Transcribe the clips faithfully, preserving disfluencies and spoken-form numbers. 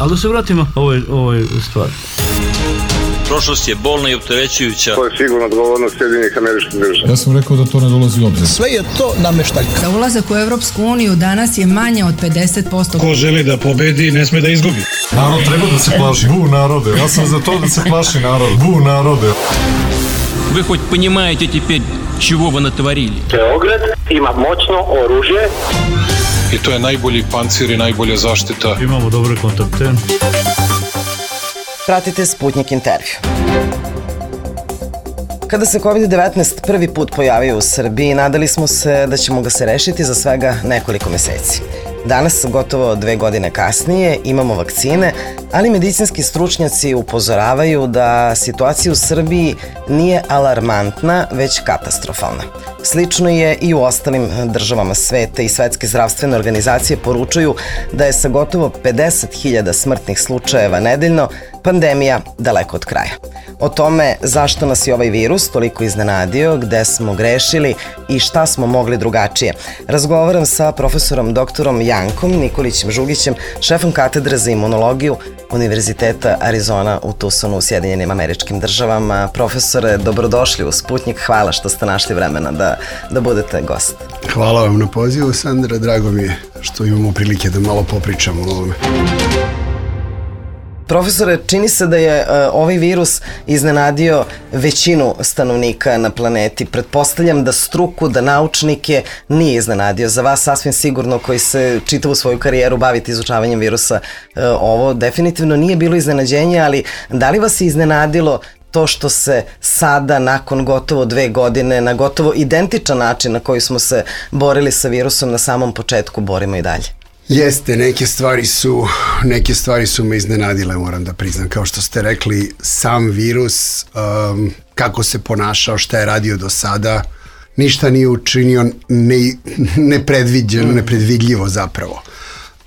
Ali da se vratimo ovoj, ovoj stvari. Prošlost je bolna i opterećujuća. To je sigurno odgovornost Sjedinjenih Američkih Država. Ja sam rekao da to ne dolazi u obzir. Sve je to nameštaljka. Za ulazak u Evropsku uniju danas je manje od pedeset posto. Ko želi da pobedi, ne sme da izgubi. Narod treba da se plaši. Bu narode. Ja sam za to da se plaši narod. Bu narode. Вы хоть понимаете теперь, чего вы натворили? Beograd ima moćno oružje. I to je najbolji pancir i najbolja zaštita. Imamo dobre kontakte. Pratite Sputnik intervju. Kada se kovid devetnaest prvi put pojavio u Srbiji, nadali smo se da ćemo ga se rešiti za svega nekoliko meseci. Danas, gotovo dve godine kasnije, imamo vakcine, ali medicinski stručnjaci upozoravaju da situacija u Srbiji nije alarmantna, već katastrofalna. Slično je i u ostalim državama sveta i svetske zdravstvene organizacije poručuju da je sa gotovo pedeset hiljada smrtnih slučajeva nedeljno pandemija daleko od kraja. O tome zašto nas je ovaj virus toliko iznenadio, gde smo grešili i šta smo mogli drugačije. Razgovaram sa profesorom doktorom Jankom Nikolićem Žugićem, šefom katedre za imunologiju Univerziteta Arizona u Tucsonu u Sjedinjenim Američkim Državama. Profesore, dobrodošli u Sputnik. Hvala što ste našli vremena da, da budete gost. Hvala vam na pozivu, Sandra. Drago mi je što imamo prilike da malo popričamo o ovome. Profesore, čini se da je uh, ovaj virus iznenadio većinu stanovnika na planeti. Pretpostavljam da struku, da naučnike nije iznenadio. Za vas sasvim sigurno koji se čitavu svoju karijeru bavite izučavanjem virusa, uh, ovo definitivno nije bilo iznenađenje, ali da li vas je iznenadilo to što se sada, nakon gotovo dve godine, na gotovo identičan način na koji smo se borili sa virusom na samom početku, borimo i dalje? Jeste, neke stvari su, neke stvari su me iznenadile, moram da priznam. Kao što ste rekli, sam virus, um, kako se ponašao, šta je radio do sada, ništa nije učinio ne, nepredviđeno, nepredvidljivo zapravo.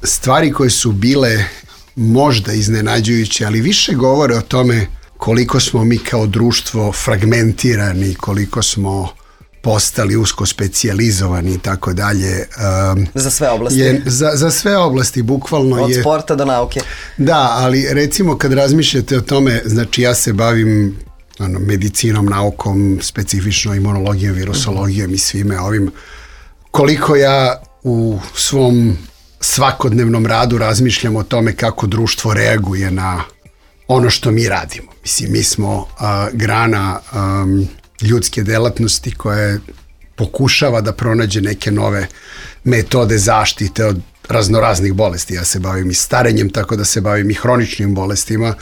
Stvari koje su bile možda iznenađujuće, ali više govore o tome koliko smo mi kao društvo fragmentirani, koliko smo postali usko specijalizovani i tako dalje. Za sve oblasti. Je, za, za sve oblasti, bukvalno je... Od sporta do nauke. Da, ali recimo kad razmišljate o tome, znači ja se bavim ono, medicinom, naukom, specifično imunologijom, virusologijom i svime ovim. Koliko ja u svom svakodnevnom radu razmišljam o tome kako društvo reaguje na ono što mi radimo. Mislim, mi smo uh, grana um, ljudske delatnosti koja pokušava da pronađe neke nove metode zaštite od raznoraznih bolesti. Ja se bavim i starenjem, tako da se bavim i hroničnim bolestima,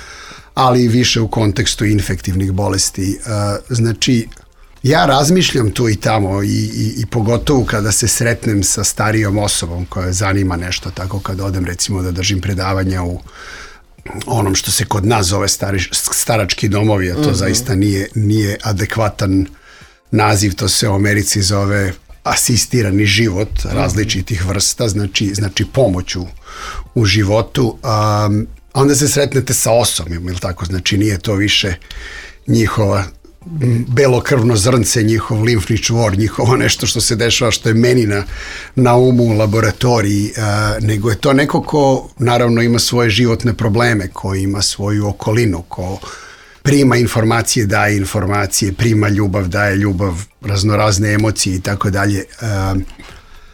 ali i više u kontekstu infektivnih bolesti. Uh, znači, ja razmišljam tu i tamo i, i, i pogotovo kada se sretnem sa starijom osobom koja zanima nešto, tako kada odem recimo da držim predavanja u onom što se kod nas zove stari, starački domovi, a to mm-hmm. zaista nije, nije adekvatan naziv, to se u Americi zove asistirani život različitih vrsta, znači, znači pomoć u, u životu. Um, onda se sretnete sa osobom, ili tako, znači nije to više njihova belokrvno zrnce, njihov limfni čvor, njihovo nešto što se dešava, što je meni na, na umu u laboratoriji, uh, nego je to neko ko naravno ima svoje životne probleme, ko ima svoju okolinu, ko prima informacije, daje informacije, prima ljubav, daje ljubav, raznorazne emocije i tako dalje.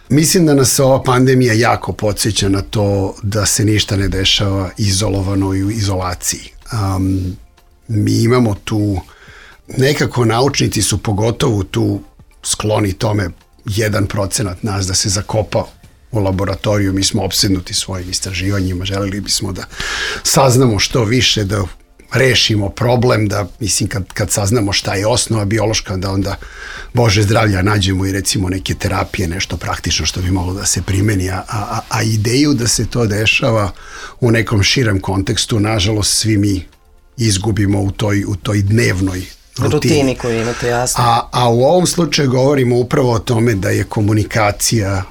Mislim da nas ova pandemija jako podsjeća na to da se ništa ne dešava izolovano i u izolaciji. Um, mi imamo tu, nekako naučnici su pogotovo tu skloni tome jedan procenat nas da se zakopa u laboratoriju. Mi smo opsednuti svojim istraživanjima, želeli bismo da saznamo što više, da rešimo problem, da mislim kad, kad saznamo šta je osnova biološka, da onda Bože zdravlja nađemo i recimo neke terapije, nešto praktično što bi moglo da se primeni, a, a, a ideju da se to dešava u nekom širem kontekstu, nažalost svi mi izgubimo u toj, u toj dnevnoj rutini. Rutini koju imate, jasno. A, a u ovom slučaju govorimo upravo o tome da je komunikacija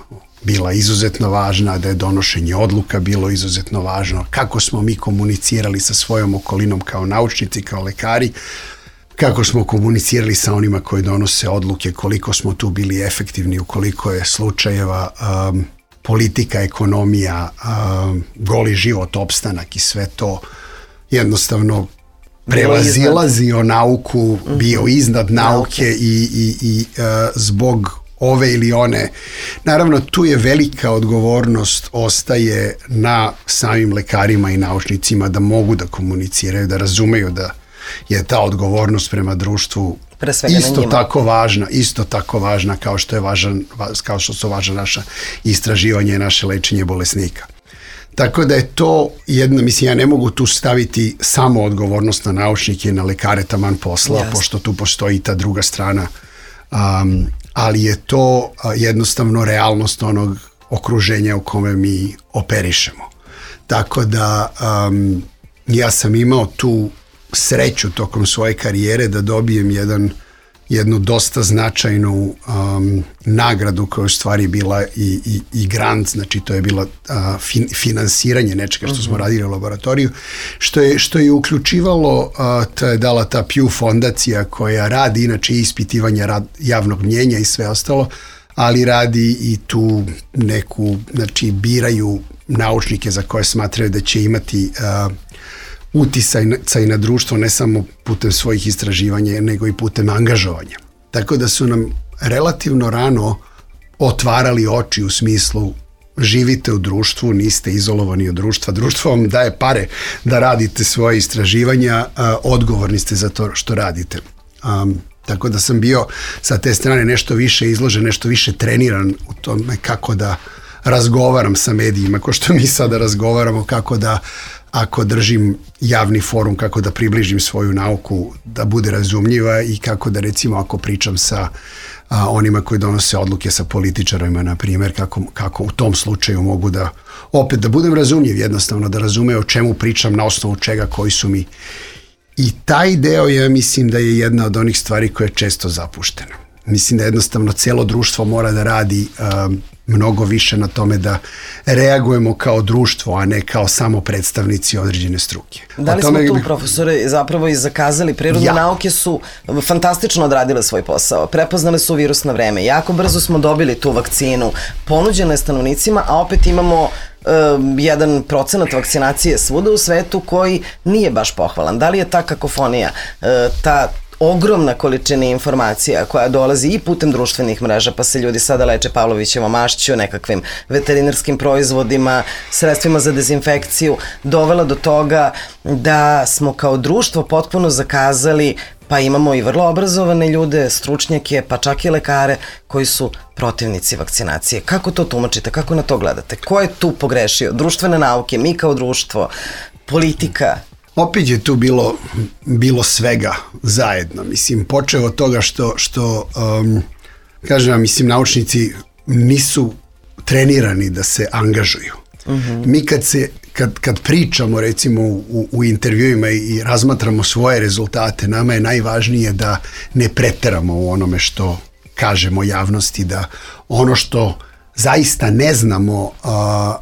bila izuzetno važna, da je donošenje odluka bilo izuzetno važno, kako smo mi komunicirali sa svojom okolinom kao naučnici, kao lekari, kako smo komunicirali sa onima koji donose odluke, koliko smo tu bili efektivni, u koliko je slučajeva um, politika, ekonomija, a, goli život, opstanak i sve to jednostavno prevazilazio nauku, bio iznad nauke i, i, i a, zbog ove ili one. Naravno, tu je velika odgovornost ostaje na samim lekarima i naučnicima da mogu da komuniciraju, da razumeju da je ta odgovornost prema društvu isto tako važna, isto tako važna kao što je važan, kao što su važna naša istraživanja i naše lečenje bolesnika. Tako da je to jedna, mislim, ja ne mogu tu staviti samo odgovornost na naučnike i na lekare taman posla, yes. pošto tu postoji ta druga strana, um, ali je to uh, jednostavno realnost onog okruženja u kome mi operišemo. Tako da um, ja sam imao tu sreću tokom svoje karijere da dobijem jedan, jednu dosta značajnu um, nagradu koja je u stvari bila i, i, i grant, znači to je bila uh, fin, finansiranje nečega što smo radili u laboratoriju, što je, što je uključivalo, uh, to je dala ta Pew fondacija koja radi inače ispitivanje rad, javnog mnjenja i sve ostalo, ali radi i tu neku, znači biraju naučnike za koje smatraju da će imati uh, uticaj na društvo ne samo putem svojih istraživanja, nego i putem angažovanja. Tako da su nam relativno rano otvarali oči u smislu živite u društvu, niste izolovani od društva, društvo vam daje pare da radite svoje istraživanja, a, odgovorni ste za to što radite. Um, tako da sam bio sa te strane nešto više izložen, nešto više treniran u tome kako da razgovaram sa medijima, ko što mi sada razgovaramo, kako da ako držim javni forum, kako da približim svoju nauku, da bude razumljiva i kako da recimo ako pričam sa a, onima koji donose odluke sa političarima, na primjer, kako, kako u tom slučaju mogu da opet da budem razumljiv, jednostavno da razume o čemu pričam, na osnovu čega, koji su mi. I taj deo ja mislim da je jedna od onih stvari koja je često zapuštena. Mislim da jednostavno cijelo društvo mora da radi um, mnogo više na tome da reagujemo kao društvo, a ne kao samo predstavnici određene struke. Da li smo tu, profesore, zapravo i zakazali? Prirodne ja. nauke su fantastično odradile svoj posao. Prepoznale su virus na vreme. Jako brzo smo dobili tu vakcinu. Ponuđena je stanovnicima, a opet imamo uh, jedan procenat vakcinacije svuda u svetu koji nije baš pohvalan. Da li je ta kakofonija, uh, ta ogromna količina informacija koja dolazi i putem društvenih mreža, pa se ljudi sada leče Pavlovićevom mašću, nekakvim veterinarskim proizvodima, sredstvima za dezinfekciju, dovela do toga da smo kao društvo potpuno zakazali, pa imamo i vrlo obrazovane ljude, stručnjake, pa čak i lekare koji su protivnici vakcinacije. Kako to tumačite? Kako na to gledate? Ko je tu pogrešio? Društvene nauke, mi kao društvo, politika? Opet je tu bilo, bilo svega zajedno. Mislim, počeo od toga što, što um, kažem, mislim, naučnici nisu trenirani da se angažuju. Uh-huh. Mi kad, se, kad, kad pričamo, recimo, u, u intervjuima i, i razmatramo svoje rezultate, nama je najvažnije da ne preteramo u onome što kažemo javnosti, da ono što zaista ne znamo uh,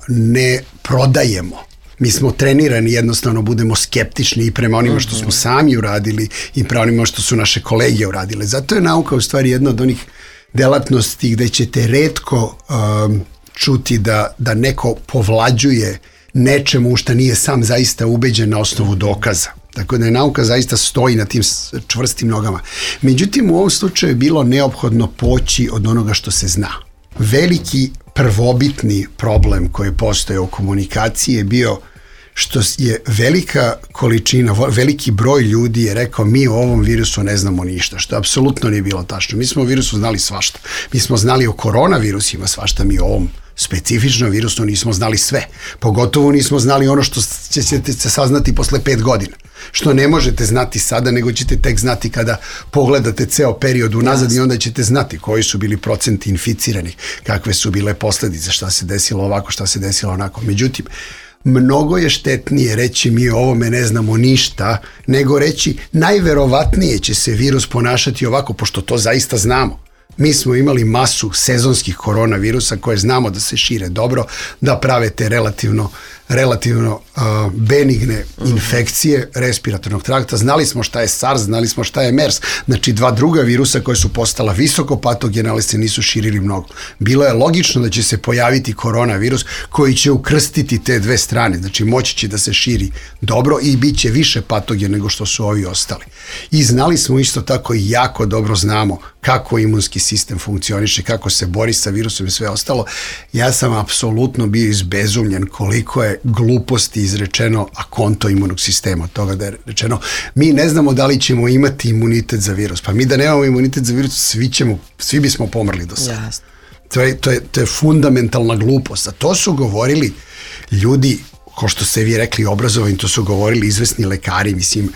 ne prodajemo. Mi smo trenirani, jednostavno budemo skeptični i prema onima što smo sami uradili i prema onima što su naše kolege uradile. Zato je nauka u stvari jedna od onih delatnosti gde ćete retko um, čuti da, da neko povlađuje nečemu u što nije sam zaista ubeđen na osnovu dokaza. Tako da je nauka zaista stoji na tim čvrstim nogama. Međutim, u ovom slučaju je bilo neophodno poći od onoga što se zna. Veliki prvobitni problem koji postoje u komunikaciji je bio što je velika količina, veliki broj ljudi je rekao mi o ovom virusu ne znamo ništa, što apsolutno nije bilo tačno. Mi smo o virusu znali svašta. Mi smo znali o koronavirusima svašta, mi o ovom specifičnom virusu nismo znali sve. Pogotovo nismo znali ono što ćete se saznati posle pet godina. Što ne možete znati sada, nego ćete tek znati kada pogledate ceo period unazad i onda ćete znati koji su bili procenti inficiranih, kakve su bile posledice, šta se desilo ovako, šta se desilo onako. Međutim, mnogo je štetnije reći mi o ovome ne znamo ništa, nego reći najverovatnije će se virus ponašati ovako, pošto to zaista znamo. Mi smo imali masu sezonskih koronavirusa koje znamo da se šire dobro, da prave te relativno relativno uh, benigne infekcije respiratornog trakta. Znali smo šta je SARS, znali smo šta je MERS, znači dva druga virusa koje su postala visoko patogena, ali se nisu širili mnogo. Bilo je logično da će se pojaviti koronavirus koji će ukrstiti te dve strane, znači moći će da se širi dobro i bit će više patogen nego što su ovi ostali. I znali smo isto tako i jako dobro znamo kako imunski sistem funkcioniše, kako se bori sa virusom i sve ostalo. Ja sam apsolutno bio izbezumljen koliko je gluposti izrečeno a konto imunog sistema, od toga da je rečeno mi ne znamo da li ćemo imati imunitet za virus. Pa mi da nemamo imunitet za virus, svi, ćemo, svi bismo pomrli do sada. Jasno. To je, to, je, to je fundamentalna glupost. A to su govorili ljudi, ko što ste vi rekli, obrazovani, to su govorili izvesni lekari, mislim,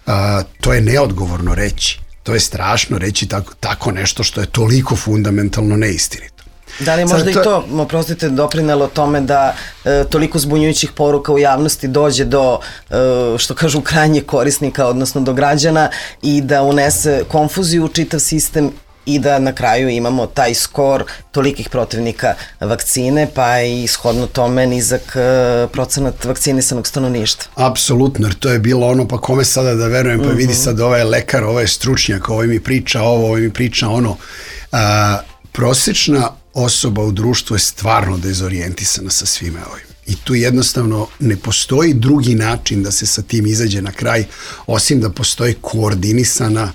a, to je neodgovorno reći. To je strašno reći tako, tako nešto što je toliko fundamentalno neistinito. Da li možda to... i to, oprostite, doprinelo tome da e, toliko zbunjujućih poruka u javnosti dođe do, e, što kažu, krajnjeg korisnika, odnosno do građana i da unese konfuziju u čitav sistem i da na kraju imamo taj skor tolikih protivnika vakcine, pa i shodno tome nizak e, procenat vakcinisanog stanovništva. Apsolutno, jer to je bilo ono, pa kome sada da verujem, pa mm-hmm. vidi sad ovaj lekar, ovaj stručnjak, ovaj mi priča ovo, ovaj mi priča ono. A, prosječna osoba u društvu je stvarno dezorijentisana sa svime ovim. I tu jednostavno ne postoji drugi način da se sa tim izađe na kraj, osim da postoji koordinisana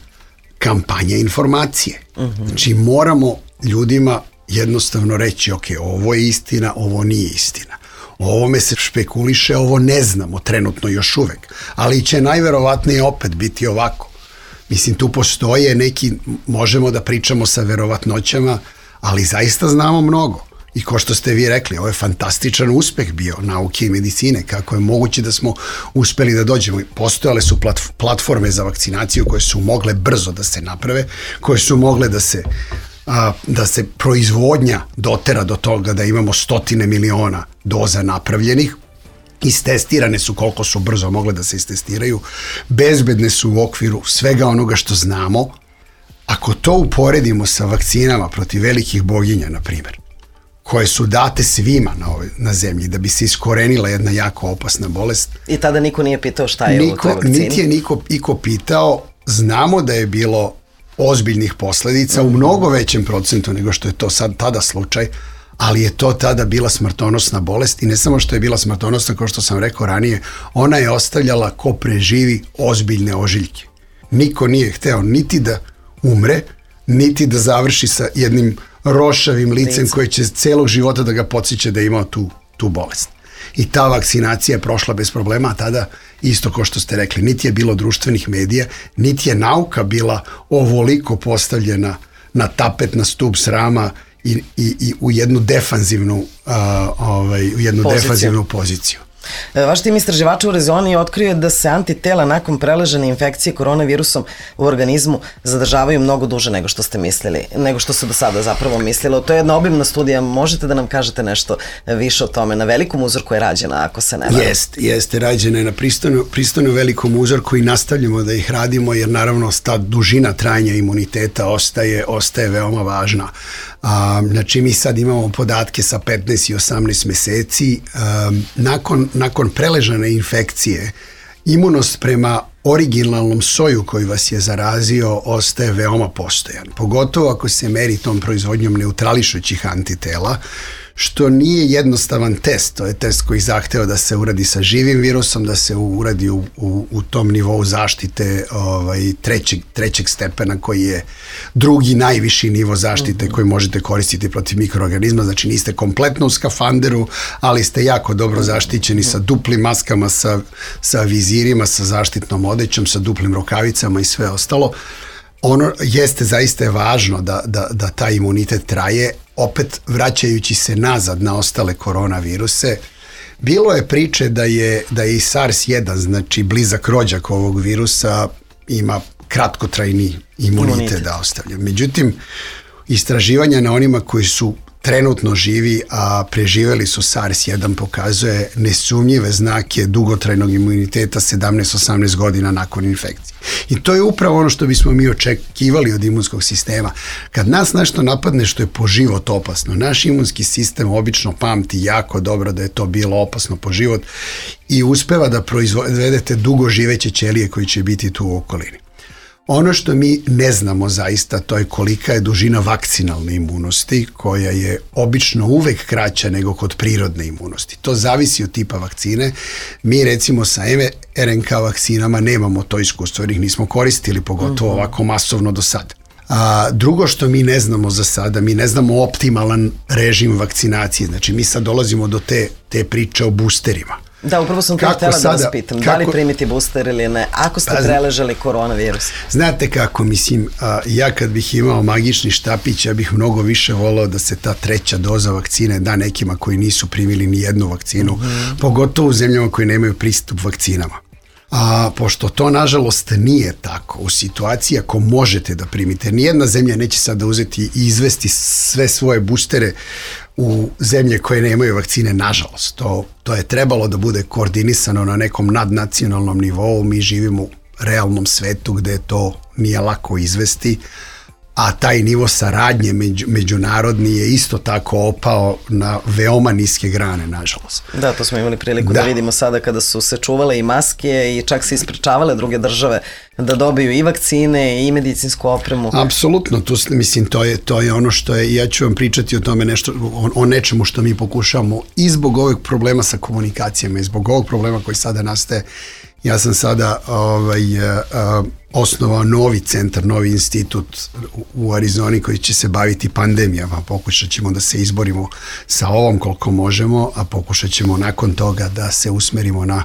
kampanja informacije. Uh-huh. Znači moramo ljudima jednostavno reći, ok, ovo je istina, ovo nije istina. O ovome se špekuliše, ovo ne znamo trenutno još uvek, ali će najverovatnije opet biti ovako. Mislim, tu postoje neki, možemo da pričamo sa verovatnoćama, ali zaista znamo mnogo. I ko što ste vi rekli, ovo je fantastičan uspeh bio nauke i medicine, kako je moguće da smo uspeli da dođemo. Postojale su platforme za vakcinaciju koje su mogle brzo da se naprave, koje su mogle da se, a, da se proizvodnja dotera do toga da imamo stotine miliona doza napravljenih. Istestirane su koliko su brzo mogle da se istestiraju, bezbedne su u okviru svega onoga što znamo. Ako to uporedimo sa vakcinama protiv velikih boginja, na primjer, koje su date svima na, ovoj, na zemlji da bi se iskorenila jedna jako opasna bolest. I tada niko nije pitao šta je niko, u toj vakcini? Niti je niko, niko pitao. Znamo da je bilo ozbiljnih posledica mm-hmm. u mnogo većem procentu nego što je to sad tada slučaj, ali je to tada bila smrtonosna bolest i ne samo što je bila smrtonosna, kao što sam rekao ranije, ona je ostavljala ko preživi ozbiljne ožiljke. Niko nije hteo niti da umre, niti da završi sa jednim rošavim licem koji će celog života da ga podsjeća da je imao tu, tu bolest. I ta vakcinacija je prošla bez problema, a tada isto kao što ste rekli, niti je bilo društvenih medija, niti je nauka bila ovoliko postavljena na tapet, na stup srama i, i, i u jednu defanzivnu, uh, ovaj, u jednu poziciju. defanzivnu poziciju. Vaš tim istraživača u Rezoni otkrio je da se antitela nakon preležene infekcije koronavirusom u organizmu zadržavaju mnogo duže nego što ste mislili, nego što se do sada zapravo mislilo. To je jedna obimna studija, možete da nam kažete nešto više o tome? Na velikom uzorku je rađena, ako se ne varam. Jeste, jeste, rađena je na pristojno, pristojno velikom uzorku i nastavljamo da ih radimo, jer naravno ta dužina trajanja imuniteta ostaje, ostaje veoma važna. A, znači mi sad imamo podatke sa petnaest i osamnaest meseci. A, nakon, nakon preležane infekcije, imunost prema originalnom soju koji vas je zarazio ostaje veoma postojan. Pogotovo ako se meri tom proizvodnjom neutrališućih antitela, što nije jednostavan test. To je test koji zahteva da se uradi sa živim virusom, da se uradi u, u, u tom nivou zaštite ovaj, trećeg, trećeg stepena koji je drugi najviši nivo zaštite koji možete koristiti protiv mikroorganizma. Znači niste kompletno u skafanderu, ali ste jako dobro zaštićeni sa duplim maskama, sa, sa vizirima, sa zaštitnom odećom, sa duplim rukavicama i sve ostalo. Ono jeste zaista je važno da, da, da taj imunitet traje, opet vraćajući se nazad na ostale koronaviruse. Bilo je priče da je, da je i SARS jedan, znači blizak rođak ovog virusa, ima kratkotrajni imunitet, imunitet da ostavlja. Međutim, istraživanja na onima koji su trenutno živi, a preživeli su SARS jedan, pokazuje nesumnjive znake dugotrajnog imuniteta sedamnaest osamnaest godina nakon infekcije. I to je upravo ono što bismo mi očekivali od imunskog sistema. Kad nas nešto napadne što je po život opasno, naš imunski sistem obično pamti jako dobro da je to bilo opasno po život i uspeva da proizvedete dugo živeće ćelije koji će biti tu u okolini. Ono što mi ne znamo zaista, to je kolika je dužina vakcinalne imunosti, koja je obično uvek kraća nego kod prirodne imunosti. To zavisi od tipa vakcine. Mi recimo sa em er en ka vakcinama nemamo to iskustvo, jer ih nismo koristili, pogotovo uh-huh. ovako masovno do sada. A drugo što mi ne znamo za sada, mi ne znamo optimalan režim vakcinacije. Znači mi sad dolazimo do te, te priče o boosterima. Da, upravo sam to htjela da vas pitam. Kako, da li primiti booster ili ne, ako ste pa, preležali koronavirus? Znate kako, mislim, a, ja kad bih imao magični štapić, ja bih mnogo više volao da se ta treća doza vakcine da nekima koji nisu primili ni jednu vakcinu, mm-hmm. pogotovo u zemljama koji nemaju pristup vakcinama. A pošto to nažalost nije tako, u situaciji ako možete da primite, nijedna zemlja neće sada uzeti i izvesti sve svoje boostere u zemlje koje nemaju vakcine, nažalost. To, to je trebalo da bude koordinisano na nekom nadnacionalnom nivou. Mi živimo u realnom svetu gde to nije lako izvesti, a taj nivo saradnje među, međunarodni je isto tako opao na veoma niske grane, nažalost. Da, to smo imali priliku da, da vidimo sada kada su se čuvale i maske i čak se isprečavale druge države da dobiju i vakcine i medicinsku opremu. Apsolutno, tu, mislim, to je, to je ono što je, ja ću vam pričati o tome nešto, o, o nečemu što mi pokušavamo i zbog ovog problema sa komunikacijama i zbog ovog problema koji sada nastaje. Ja sam sada ovaj, uh, osnovao novi centar, novi institut u Arizoni koji će se baviti pandemijama. Pokušat ćemo da se izborimo sa ovom koliko možemo, a pokušat ćemo nakon toga da se usmerimo na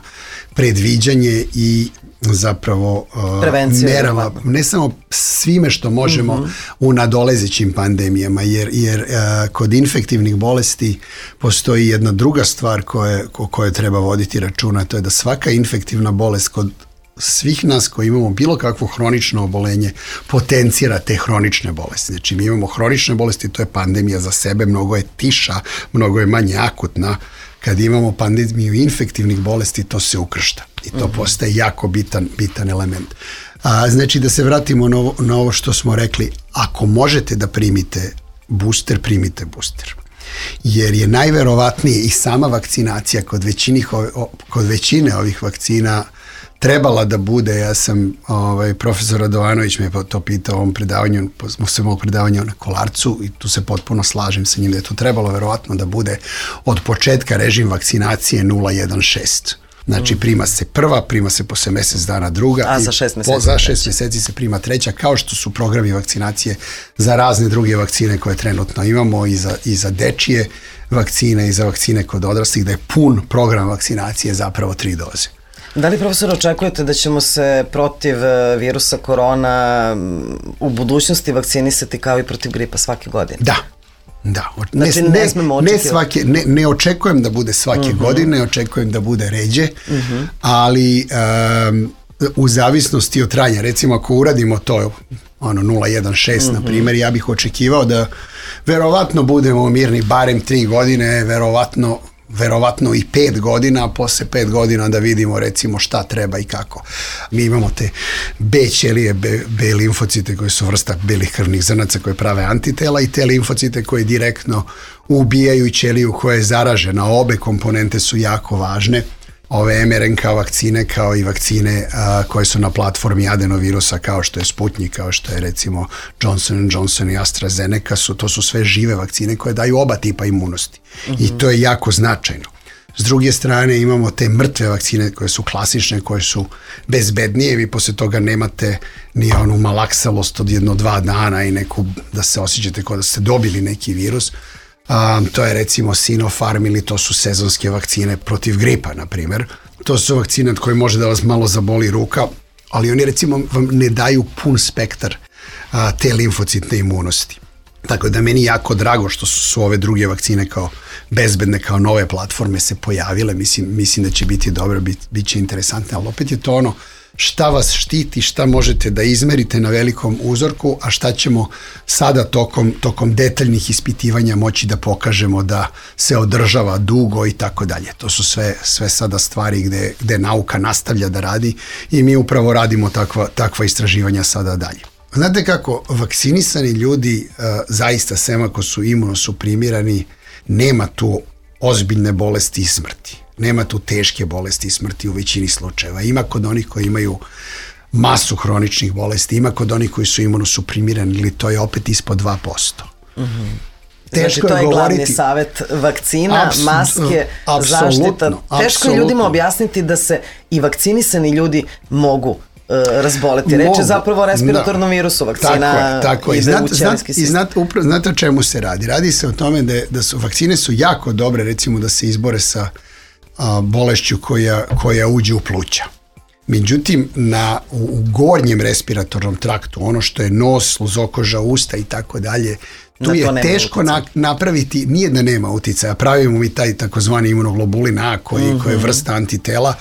predviđanje i zapravo uh, merama, ne samo svime što možemo uh-huh. u nadolezećim pandemijama, jer, jer uh, kod infektivnih bolesti postoji jedna druga stvar koje, o kojoj treba voditi računa, to je da svaka infektivna bolest kod svih nas koji imamo bilo kakvo hronično obolenje potencira te hronične bolesti. Znači mi imamo hronične bolesti, to je pandemija za sebe, mnogo je tiša, mnogo je manje akutna. Kad imamo pandemiju infektivnih bolesti, to se ukršta i to uh-huh. postaje jako bitan, bitan element. A, znači da se vratimo na ovo, na ovo što smo rekli, ako možete da primite booster, primite booster. Jer je najverovatnije i sama vakcinacija kod, većinih, kod većine ovih vakcina trebala da bude, ja sam, ovaj, profesor Radovanović me to pitao u ovom predavanju, smo se mog predavanja na Kolarcu i tu se potpuno slažem sa njim da je to trebalo verovatno da bude od početka režim vakcinacije nula jedan šest. Znači prima se prva, prima se posle mesec dana druga. A za šest meseci? Po, za šest meseci se prima treća, kao što su programi vakcinacije za razne druge vakcine koje trenutno imamo i za, i za dečije vakcine i za vakcine kod odraslih, da je pun program vakcinacije zapravo tri doze. Da li, profesor, očekujete da ćemo se protiv virusa korona u budućnosti vakcinisati kao i protiv gripa svake godine? Da. Da, ne, znači, ne, ne, ne, svake, ne, ne očekujem da bude svake uh-huh. godine, očekujem da bude ređe, uh-huh. ali um, u zavisnosti od trajanja, recimo ako uradimo to ono nula jedan šest uh-huh. na primjer, ja bih očekivao da verovatno budemo mirni barem tri godine, verovatno verovatno i pet godina, a posle pet godina da vidimo recimo šta treba i kako. Mi imamo te B ćelije, B, B limfocite koje su vrsta belih krvnih zrnaca koje prave antitela i te limfocite koje direktno ubijaju i ćeliju koja je zaražena. Obe komponente su jako važne. Ove em er en ka vakcine kao i vakcine a, koje su na platformi adenovirusa kao što je Sputnik, kao što je recimo Johnson and Johnson i AstraZeneca, su, to su sve žive vakcine koje daju oba tipa imunosti. Mm-hmm. I to je jako značajno. S druge strane imamo te mrtve vakcine koje su klasične, koje su bezbednije, vi posle toga nemate ni onu malaksalost od jedno dva dana i neku da se osjećate kao da ste dobili neki virus. Um, to je recimo Sinopharm ili to su sezonske vakcine protiv gripa, na primjer. To su vakcine od koje može da vas malo zaboli ruka, ali oni recimo vam ne daju pun spektar uh, te limfocitne imunosti. Tako da meni jako drago što su, su ove druge vakcine kao bezbedne, kao nove platforme se pojavile. Mislim, mislim da će biti dobro, bit, bit će interesantne, ali opet je to ono šta vas štiti, šta možete da izmerite na velikom uzorku, a šta ćemo sada tokom, tokom detaljnih ispitivanja moći da pokažemo da se održava dugo i tako dalje. To su sve, sve sada stvari gde, gde nauka nastavlja da radi i mi upravo radimo takva, takva istraživanja sada dalje. Znate kako, vakcinisani ljudi uh, zaista, sem ako su imunosuprimirani, nema tu ozbiljne bolesti i smrti. Nema tu teške bolesti i smrti u većini slučajeva. Ima kod onih koji imaju masu hroničnih bolesti, ima kod onih koji su imunosuprimirani, ili to je opet ispod dva posto. Mm-hmm. Teško znači, to je, je govoriti, glavni savjet, vakcina, Abs, maske, zaštita. Teško je ljudima objasniti da se i vakcinisani ljudi mogu razboleti. Reč je zapravo o respiratornom da. virusu, vakcina tako je, tako ide znat, u ćelijski sistem. I znate, upra, znate o čemu se radi? Radi se o tome da, da su vakcine su jako dobre, recimo da se izbore sa a, bolešću koja, koja uđe u pluća. Međutim, na, u, u gornjem respiratornom traktu, ono što je nos, sluzokoža, usta i tako dalje, tu je teško na, napraviti, nije da nema uticaja, pravimo mi taj takozvani imunoglobulin A koji, mm-hmm. koji je vrsta antitela,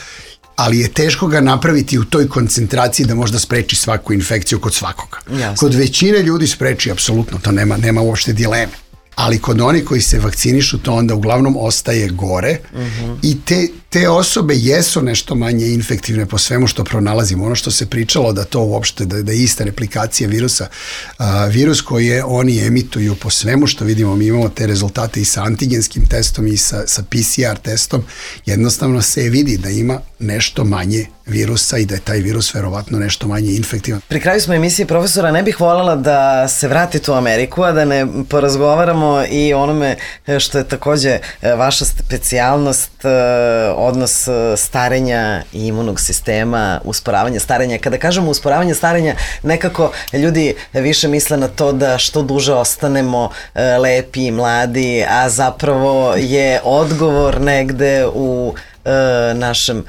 ali je teško ga napraviti u toj koncentraciji da možda spreči svaku infekciju kod svakoga. Jasne. Kod većine ljudi spreči, apsolutno, to nema, nema uopšte dileme. Ali kod onih koji se vakcinišu, to onda uglavnom ostaje gore uh-huh. i te, te osobe jesu nešto manje infektivne po svemu što pronalazimo. Ono što se pričalo da to uopšte, da, da je ista replikacija virusa, a, virus koje oni emituju po svemu što vidimo, mi imamo te rezultate i sa antigenskim testom i sa, sa P C R testom, jednostavno se vidi da ima nešto manje virusa i da je taj virus verovatno nešto manje infektivan. Pri kraju smo emisije, profesora, ne bih voljela da se vratite u Ameriku, a da ne porazgovaramo i onome što je takođe vaša specijalnost, odnos starenja i imunog sistema, usporavanje starenja. Kada kažemo usporavanje starenja, nekako ljudi više misle na to da što duže ostanemo lepi i mladi, a zapravo je odgovor negde u našem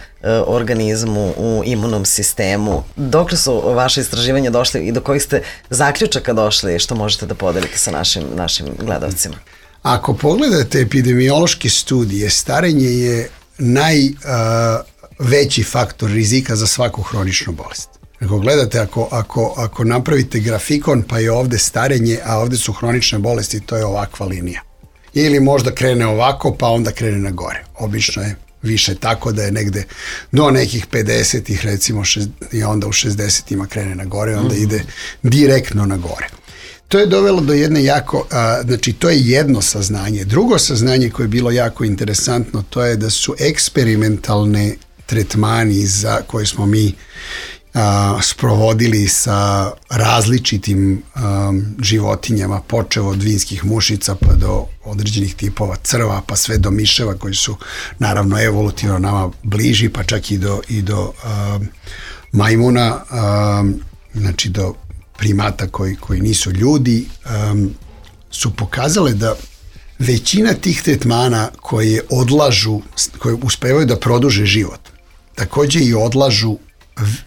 organizmu, u imunom sistemu. Dokle su vaše istraživanja došli i do kojih ste zaključaka došli što možete da podelite sa našim, našim gledalcima? Ako pogledate epidemiološke studije, starenje je najveći faktor rizika za svaku hroničnu bolest. Ako gledate, ako, ako, ako napravite grafikon pa je ovde starenje, a ovde su hronične bolesti, to je ovakva linija. Ili možda krene ovako pa onda krene na gore. Obično je više tako da je negde do nekih pedesetih recimo šest, i onda u šezdesetima krene na gore, onda mm-hmm. ide direktno na gore. To je dovelo do jedne jako, a, znači to je jedno saznanje. Drugo saznanje koje je bilo jako interesantno, to je da su eksperimentalne tretmani za koje smo mi a, sprovodili sa različitim a, životinjama, počev od vinskih mušica pa do određenih tipova crva, pa sve do miševa koji su naravno evolutivno nama bliži, pa čak i do, i do a, majmuna, a, znači do primata koji, koji nisu ljudi, um, su pokazale da većina tih tretmana koje odlažu, koje uspevaju da produže život, takođe i odlažu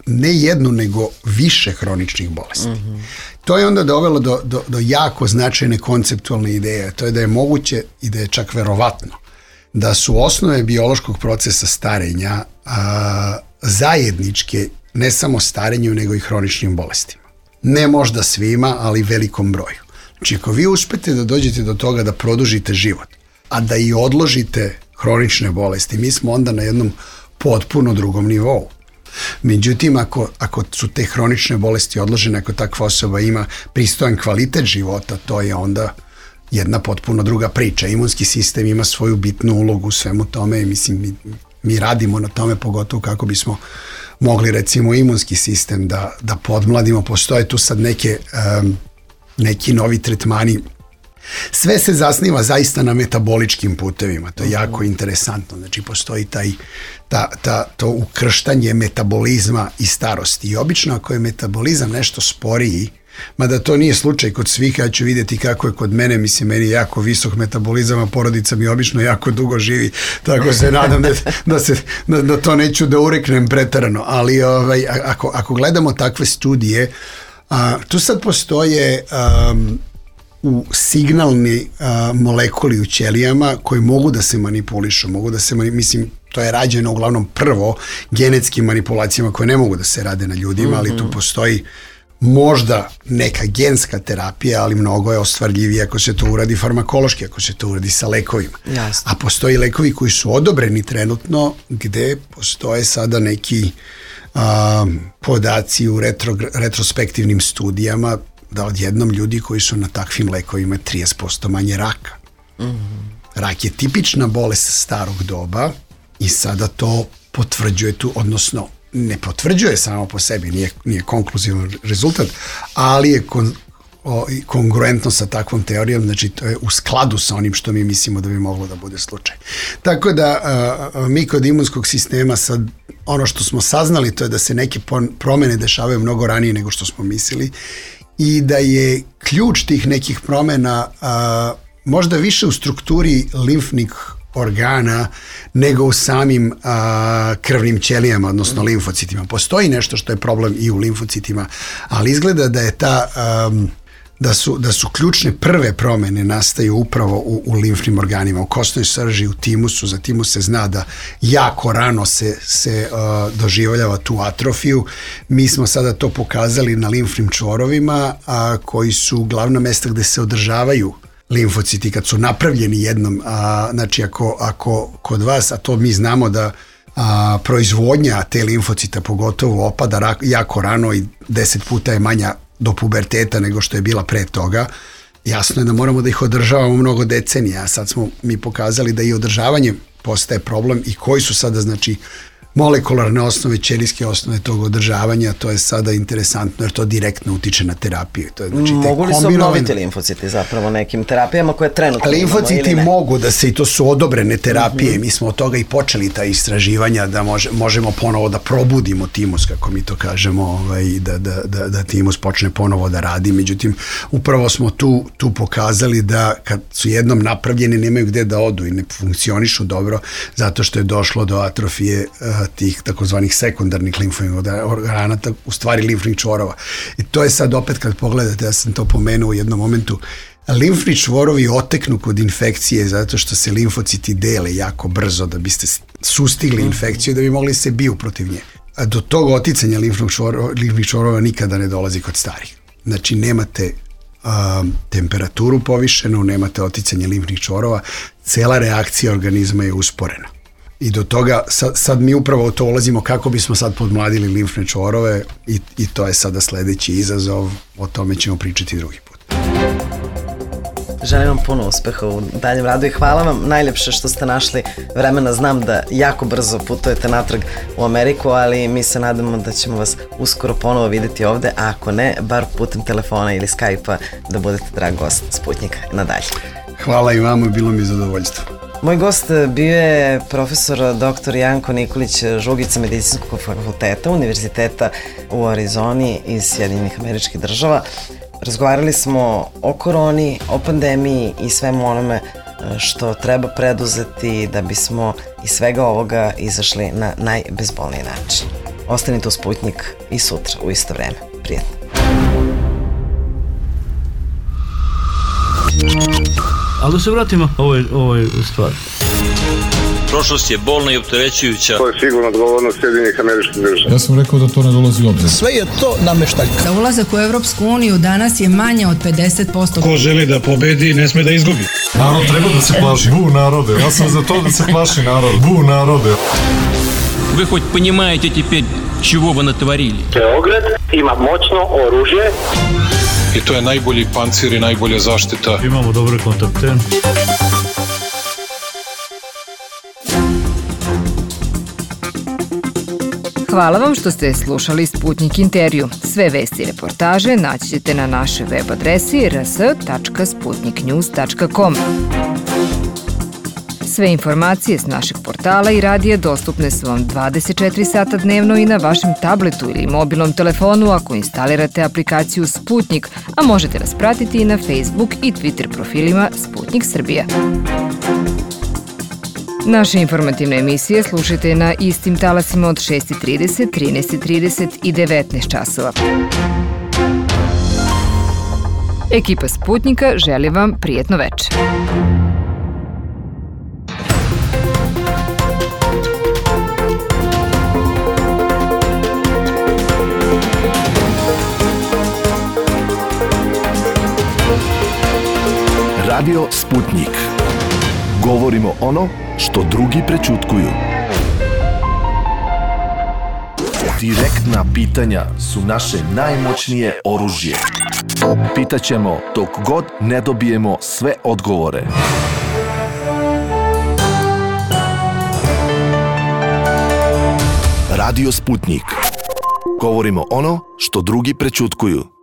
ne jednu, nego više hroničnih bolesti. Mm-hmm. To je onda dovelo do, do, do jako značajne konceptualne ideje. To je da je moguće i da je čak verovatno da su osnove biološkog procesa starenja a, zajedničke ne samo starenju, nego i hroničnim bolestima. Ne možda svima, ali velikom broju. Znači, ako vi uspete da dođete do toga da produžite život, a da i odložite hronične bolesti, mi smo onda na jednom potpuno drugom nivou. Međutim, ako, ako su te hronične bolesti odložene, ako takva osoba ima pristojan kvalitet života, to je onda jedna potpuno druga priča. Imunski sistem ima svoju bitnu ulogu u svemu tome i mislim, mi, mi radimo na tome, pogotovo kako bismo mogli recimo imunski sistem da, da podmladimo. Postoje tu sad neke, um, neki novi tretmani. Sve se zasniva zaista na metaboličkim putevima, to je jako interesantno. Znači postoji taj, ta, ta, to ukrštanje metabolizma i starosti. I obično ako je metabolizam nešto sporiji, mada to nije slučaj kod svih, ja ću vidjeti kako je kod mene, mislim, meni je jako visok metabolizam, a porodica mi obično jako dugo živi, tako se nadam da, da, se, da, da to neću da ureknem pretarano, ali ovaj, ako, ako gledamo takve studije, a, tu sad postoje um, u signalni a, molekuli u ćelijama koji mogu da se manipulišu, mogu da se, mislim, to je rađeno uglavnom prvo genetskim manipulacijama koje ne mogu da se rade na ljudima, mm-hmm. ali tu postoji možda neka genska terapija, ali mnogo je ostvarljivije ako se to uradi farmakološki, ako se to uradi sa lekovima. Jasne. A postoji lekovi koji su odobreni trenutno gde postoje sada neki a, podaci u retro, retrospektivnim studijama da odjednom ljudi koji su na takvim lekovima trideset posto manje raka. Mm-hmm. Rak je tipična bolest starog doba i sada to potvrđuje tu, odnosno ne potvrđuje samo po sebi, nije, nije konkluzivan rezultat, ali je kon, o, kongruentno sa takvom teorijom, znači to je u skladu sa onim što mi mislimo da bi moglo da bude slučaj. Tako da a, mi kod imunskog sistema sad, ono što smo saznali to je da se neke promene dešavaju mnogo ranije nego što smo mislili i da je ključ tih nekih promena a, možda više u strukturi limfnih organa nego u samim a, krvnim ćelijama, odnosno limfocitima. Postoji nešto što je problem i u limfocitima, ali izgleda da je ta um, da su, da su ključne prve promene nastaju upravo u, u limfnim organima, u kostnoj srži, u timusu. Za timus se zna da jako rano se, se uh, doživljava tu atrofiju. Mi smo sada to pokazali na limfnim čvorovima a, koji su glavna mesta gde se održavaju limfociti kad su napravljeni jednom, a, znači ako, ako kod vas, a to mi znamo da a, proizvodnja te limfocita pogotovo opada rak, jako rano i deset puta je manja do puberteta nego što je bila pre toga, jasno je da moramo da ih održavamo mnogo decenija, a sad smo mi pokazali da i održavanje postaje problem i koji su sada znači molekularne osnove, ćelijske osnove tog održavanja, to je sada interesantno jer to direktno utiče na terapiju. To je, znači, mogu li se obnoviti limfociti zapravo nekim terapijama koje trenutno limfociti imamo, mogu da se, i to su odobrene terapije, mm-hmm. mi smo od toga i počeli ta istraživanja da može, možemo ponovo da probudimo timus, kako mi to kažemo, ovaj, da, da, da, da timus počne ponovo da radi. Međutim, upravo smo tu, tu pokazali da kad su jednom napravljeni nemaju gde da odu i ne funkcionišu dobro zato što je došlo do atrofije uh, tih takozvanih sekundarnih limfnih organa, u stvari limfnih čvorova. I to je sad opet kad pogledate, ja sam to pomenuo u jednom momentu, limfni čvorovi oteknu kod infekcije zato što se limfociti dele jako brzo da biste sustigli infekciju da bi mogli se biju protiv nje. A do tog oticanja limfnih čvorova, limfnih čvorova nikada ne dolazi kod starih. Znači nemate um, temperaturu povišenu, nemate oticanje limfnih čvorova, cela reakcija organizma je usporena. I do toga, sad, sad mi upravo u to ulazimo kako bismo sad podmladili limfne čvorove i, i to je sada sledeći izazov, o tome ćemo pričati drugi put. Želim vam puno uspeha u daljem radu i hvala vam najljepše što ste našli vremena. Znam da jako brzo putujete natrag u Ameriku, ali mi se nadamo da ćemo vas uskoro ponovo videti ovde, a ako ne, bar putem telefona ili Skype-a da budete drag gost Sputnika. Nadalje. Hvala i vama, bilo mi zadovoljstvo. Moj gost bio je profesor doktor Janko Nikolić Žugica Medicinskog fakulteta Univerziteta u Arizoni iz Sjedinjenih Američkih Država. Razgovarali smo o koroni, o pandemiji i svemu onome što treba preduzeti da bismo iz svega ovoga izašli na najbezbolniji način. Ostanite u Sputnik i sutra u isto vreme. Prijetno. Ali da se vratimo ovoj, ovoj stvari. Prošlost je bolna i opterećujuća. To je sigurno odgovornost Sjedinjenih Američkih Država. Ja sam rekao da to ne dolazi u obzir. Sve je to nameštaljka. Za ulazak u Evropsku uniju danas je manje od pedeset posto. Ko želi da pobedi, ne sme da izgubi. Narod treba da se plaši. Bu narode, ja sam za to da se plaši narod. Bu narode. Вы хоть понимаете теперь, чего вы натворили? Beograd ima moćno oružje. I to je najbolji pancir i najbolja zaštita. Imamo dobre kontakte. Hvala vam što ste slušali Sputnik intervju. Sve vesti i reportaže naći ćete na našoj web adresi r s tačka sputnik news tačka com. Sve informacije s našeg portala i radija dostupne su vam dvadeset četiri sata dnevno i na vašem tabletu ili mobilnom telefonu ako instalirate aplikaciju Sputnik, a možete nas pratiti i na Facebook i Twitter profilima Sputnik Srbija. Naše informativne emisije slušajte na istim talasima od šest i trideset, trinaest i trideset i devetnaest časova. Ekipa Sputnika želi vam prijetno večer. Radio Sputnik. Govorimo ono što drugi prećutkuju. Direktna pitanja su naše najmoćnije oružje. Pitaćemo dok god ne dobijemo sve odgovore. Radio Sputnik. Govorimo ono što drugi prećutkuju.